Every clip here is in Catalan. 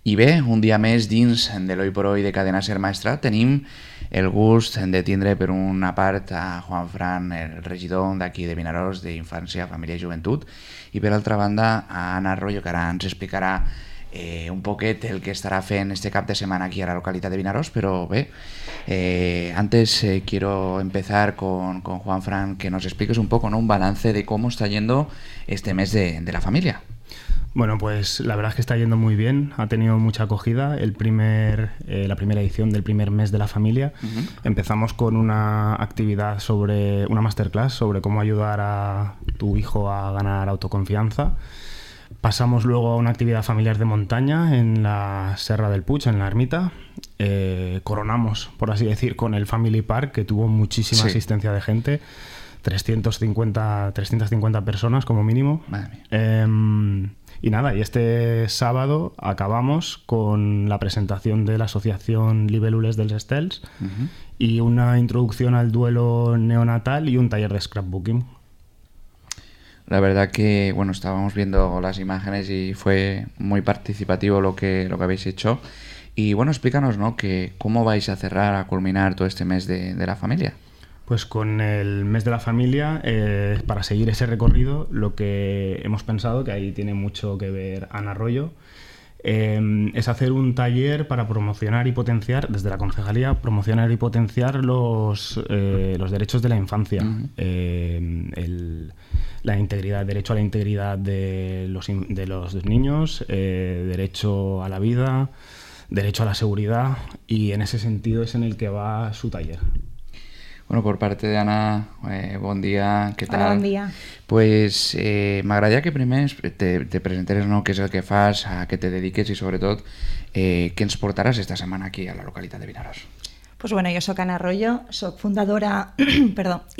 I bé, un dia més dins de l'Hoy por Hoy de Cadena Ser Maestrat tenim el gust de tindre per una part a Juanfran, el regidor d'aquí de Vinaròs d'Infància, Família i Joventut, i per altra banda a Ana Arroyo, que ara ens explicarà un poquet el que estará fent este cap de semana aquí a la localidad de Vinaròs, pero antes quiero empezar con Juanfran, que nos expliques un poco, ¿no?, un balance de cómo está yendo este mes de la familia. Bueno, pues la verdad es que está yendo muy bien, ha tenido mucha acogida la primera edición del primer mes de la familia. Empezamos con una actividad una masterclass sobre cómo ayudar a tu hijo a ganar autoconfianza. Pasamos luego a una actividad familiar de montaña en la Serra del Puig, en la ermita. Coronamos, por así decir, con el Family Park, que tuvo muchísima asistencia de gente, 350 personas como mínimo. Madre mía. Y nada, y este sábado acabamos con la presentación de la asociación Libélules dels Estels y una introducción al duelo neonatal y un taller de scrapbooking. La verdad que, bueno, estábamos viendo las imágenes y fue muy participativo lo que habéis hecho. Y bueno, explícanos, ¿no?, que cómo vais a cerrar, a culminar todo este mes de la familia. Pues con el mes de la familia, para seguir ese recorrido, lo que hemos pensado, que ahí tiene mucho que ver Ana Arroyo, es hacer un taller para promocionar y potenciar, desde la concejalía, promocionar y potenciar los derechos de la infancia. La integridad, derecho a la integridad de los niños, derecho a la vida, derecho a la seguridad, y en ese sentido es en el que va su taller. Bueno, por parte de Ana, bon dia, què tal? Hola, bon dia. Pues m'agradaria que primer te presenteres, no?, què és el que fas, a què te dediques i sobretot què ens portaràs esta setmana aquí a la localitat de Vinaròs. Pues bueno, jo soc Ana Arroyo, soc fundadora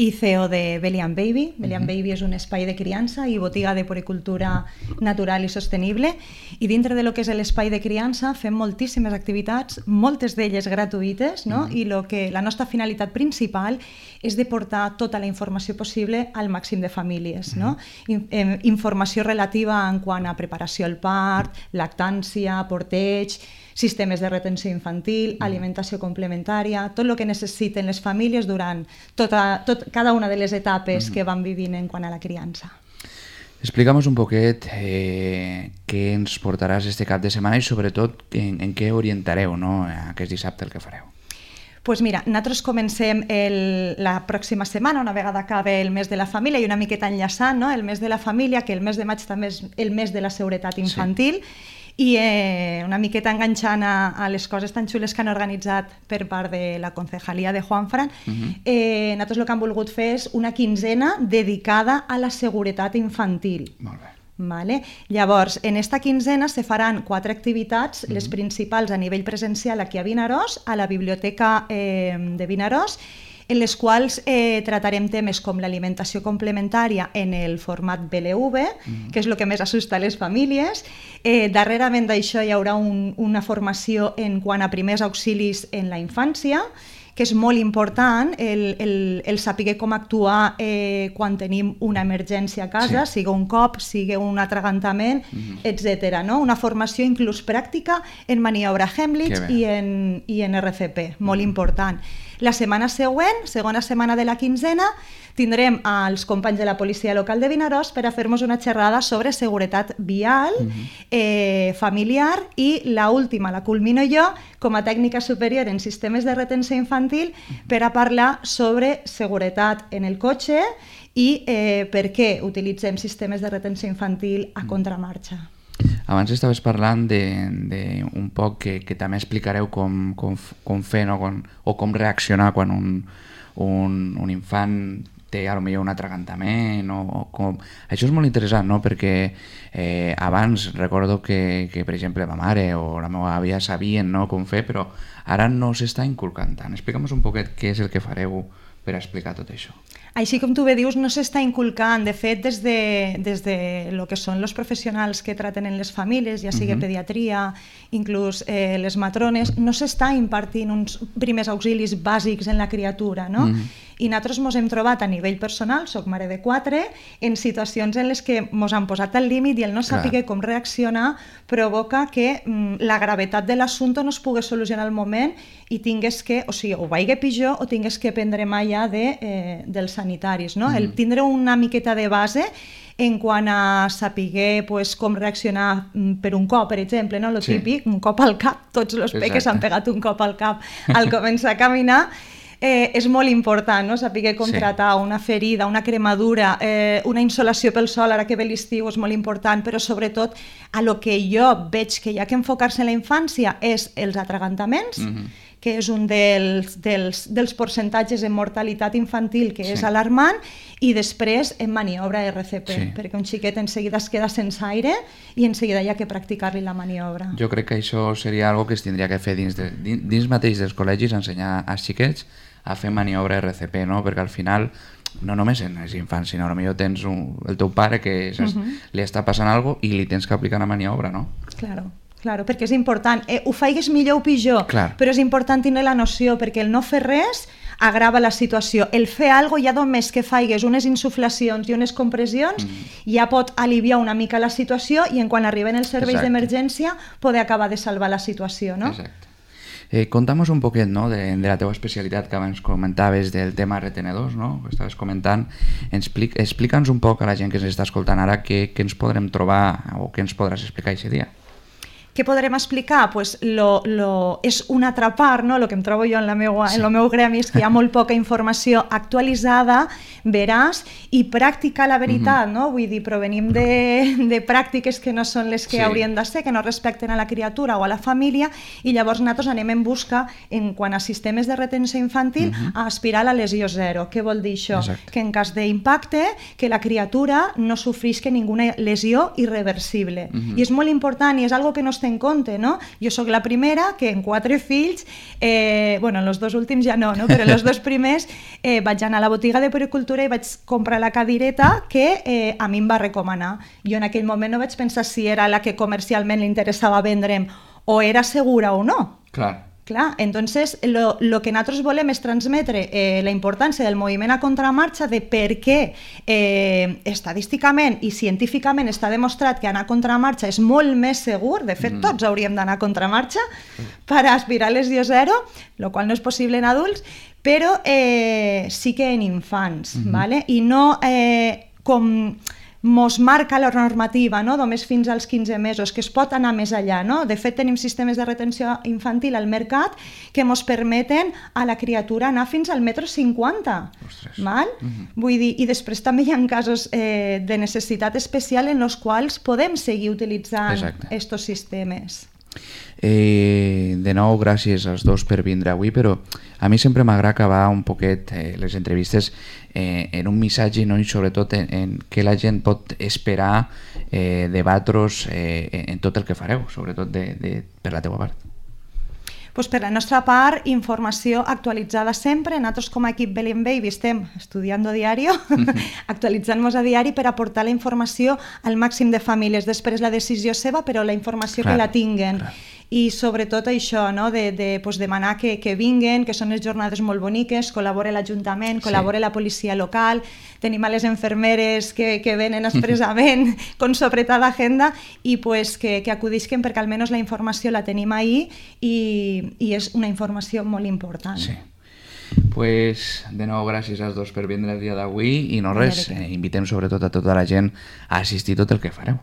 i CEO de Belly and Baby. Belly and Baby és un espai de criança i botiga de poricultura natural i sostenible, i dintre de lo que és l'espai de criança fem moltíssimes activitats, moltes d'elles gratuïtes, no? I la nostra finalitat principal és de portar tota la informació possible al màxim de famílies, no? Informació relativa en quant a preparació al part, lactància, porteig, sistemes de retenció infantil, alimentació complementària, tot el que necessiten les famílies durant cada una de les etapes que van vivint en quant a la criança. Explica'ns un poquet què ens portaràs este cap de setmana i sobretot en què orientareu, no?, aquest dissabte el que fareu. Pues mira, nosaltres comencem la pròxima setmana, una vegada acabe el mes de la família, i una miqueta enllaçant, no?, el mes de la família, que el mes de maig també és el mes de la seguretat infantil, i una miqueta enganxant a les coses tan xules que han organitzat per part de la concejalía de Juanfran, nosaltres el que hem volgut fer és una quinzena dedicada a la seguretat infantil. Molt bé. Vale? Llavors, en esta quinzena se faran 4 activitats, les principals a nivell presencial aquí a Vinaròs, a la biblioteca de Vinaròs, en les quals tratarem temes com l'alimentació complementària en el format BLV, que és el que més assusta a les famílies. Darrerament d'això hi haurà una formació en quant a primers auxilis en la infància, que és molt important el saber com actuar quan tenim una emergència a casa, sigui un cop, sigui un atragantament, etc. Una formació inclús pràctica en maniobra Heimlich i en RCP, molt important. La setmana següent, segona setmana de la quinzena, tindrem els companys de la policia local de Vinaròs per a fer-nos una xerrada sobre seguretat vial, familiar, i l'última la culmino jo com a tècnica superior en sistemes de retenció infantil per a parlar sobre seguretat en el cotxe i per què utilitzem sistemes de retenció infantil a contramarxa. Abans estaves parlant d'un poc que també explicareu com fer o com reaccionar quan un infant té potser un atragantament o com... Això és molt interessant, no?, perquè abans recordo que per exemple ma mare o la meva àvia sabien, no?, com fer, però ara no s'està inculcant tant. Explica'ns un poquet què és el que fareu per explicar tot això. Així com tu bé dius, no s'està inculcant. De fet, des de lo que són els professionals que traten en les famílies, ja sigui pediatria, inclús les matrones, no s'està impartint uns primers auxilis bàsics en la criatura, no? I nosaltres ens hem trobat a nivell personal, soc mare de 4, en situacions en les que ens han posat al límit i el no saber com reaccionar provoca que la gravetat de l'assumpte no es pugui solucionar al moment i tingués que, o sigui, o vagi pitjor o tingués que prendre mà ja dels sanitaris, no? El tindre una miqueta de base en quant a saber pues, com reaccionar per un cop, per exemple, no? Lo típic, un cop al cap, tots els peques han pegat un cop al cap al començar a caminar, és molt important, no? Saber com tratar una ferida, una cremadura, una insolació pel sol, ara que ve l'estiu és molt important, però sobretot a lo que jo veig que hi ha que enfocar-se en la infància és els atragantaments, que és un dels percentatges en mortalitat infantil que és alarmant, i després en maniobra RCP, perquè un xiquet en seguida es queda sense aire i en seguida hi ha que practicar-li la maniobra. Jo crec que això seria algo que es tindria que fer dins mateix dels col·legis, ensenyar als xiquets a fer maniobra RCP, no? Perquè al final no només en els infants, sinó potser tens el teu pare que li està passant alguna cosa i li tens que aplicar una maniobra, no? Claro, perquè és important. Ho faigues millor o pitjor, però és important tenir la noció, perquè el no fer res agrava la situació. El fer alguna cosa, ja només que faigues unes insuflacions i unes compressions, ja pot aliviar una mica la situació i en quan arriben els serveis d'emergència poder acabar de salvar la situació, no? Exacte. Conta'm un poquet, no?, de la teva especialitat que abans comentaves del tema retenedors, no?, que estaves comentant. Explica'ns un poc a la gent que ens està escoltant ara què ens podrem trobar o què ens podràs explicar aquest dia. Què podrem explicar? Pues és un altra part, no? El que em trobo jo en el meu gremi és que hi ha molt poca informació actualitzada, veraç i pràctica, la veritat, no? Vull dir, provenim de pràctiques que no són les que haurien de ser, que no respecten a la criatura o a la família, i llavors nosaltres anem en busca, en quant a sistemes de retenció infantil, a aspirar a la lesió zero. Què vol dir això? Que en cas d'impacte, que la criatura no sofrisca ninguna lesió irreversible. I és molt important i és algo que no en compte, no? Jo sóc la primera que en 4 fills, bueno, en els 2 últims ja no, però en els 2 primers vaig anar a la botiga de puericultura i vaig comprar la cadireta que a mi em va recomanar. Jo en aquell moment no vaig pensar si era la que comercialment li interessava vendre'm o era segura o no. Clar, entonces lo que nosaltres volem és transmetre la importància del moviment a contramarxa, de per què estadísticament i científicament està demostrat que anar a contramarxa és molt més segur. De fet, tots hauríem d'anar a contramarxa per aspirar a lesió zero, el qual no és possible en adults, però sí que en infants, i no com mos marca la normativa, no? Només fins als 15 mesos, que es pot anar més allà, no? De fet, tenim sistemes de retenció infantil al mercat que mos permeten a la criatura anar fins al 1,50 m. Vull dir, i després també hi ha casos de necessitat especial en els quals podem seguir utilitzant estos sistemes. De nou, gràcies als dos per vindre avui, però a mi sempre m'agrada acabar un poquet les entrevistes en un missatge, no? I sobretot en què la gent pot esperar debatre-us en tot el que fareu, sobretot per la teva part. Pues per la nostra part, informació actualitzada sempre. Nosaltres com a equip Belén Baby estem estudiant diario, actualitzant-nos a diari per aportar la informació al màxim de famílies. Després la decisió seva, però la informació que la tinguen. I sobretot això, no? de demanar que vinguen, que són les jornades molt boniques, col·labora l'Ajuntament, col·labora la policia local, tenim a les infermeres que venen expressament con sopretada agenda i pues, que acudisquen perquè almenys la informació la tenim ahí i és una informació molt important. Sí. Pues, de nou, gràcies als dos per vindre el dia d'avui i no res, invitem sobretot a tota la gent a assistir tot el que fareu.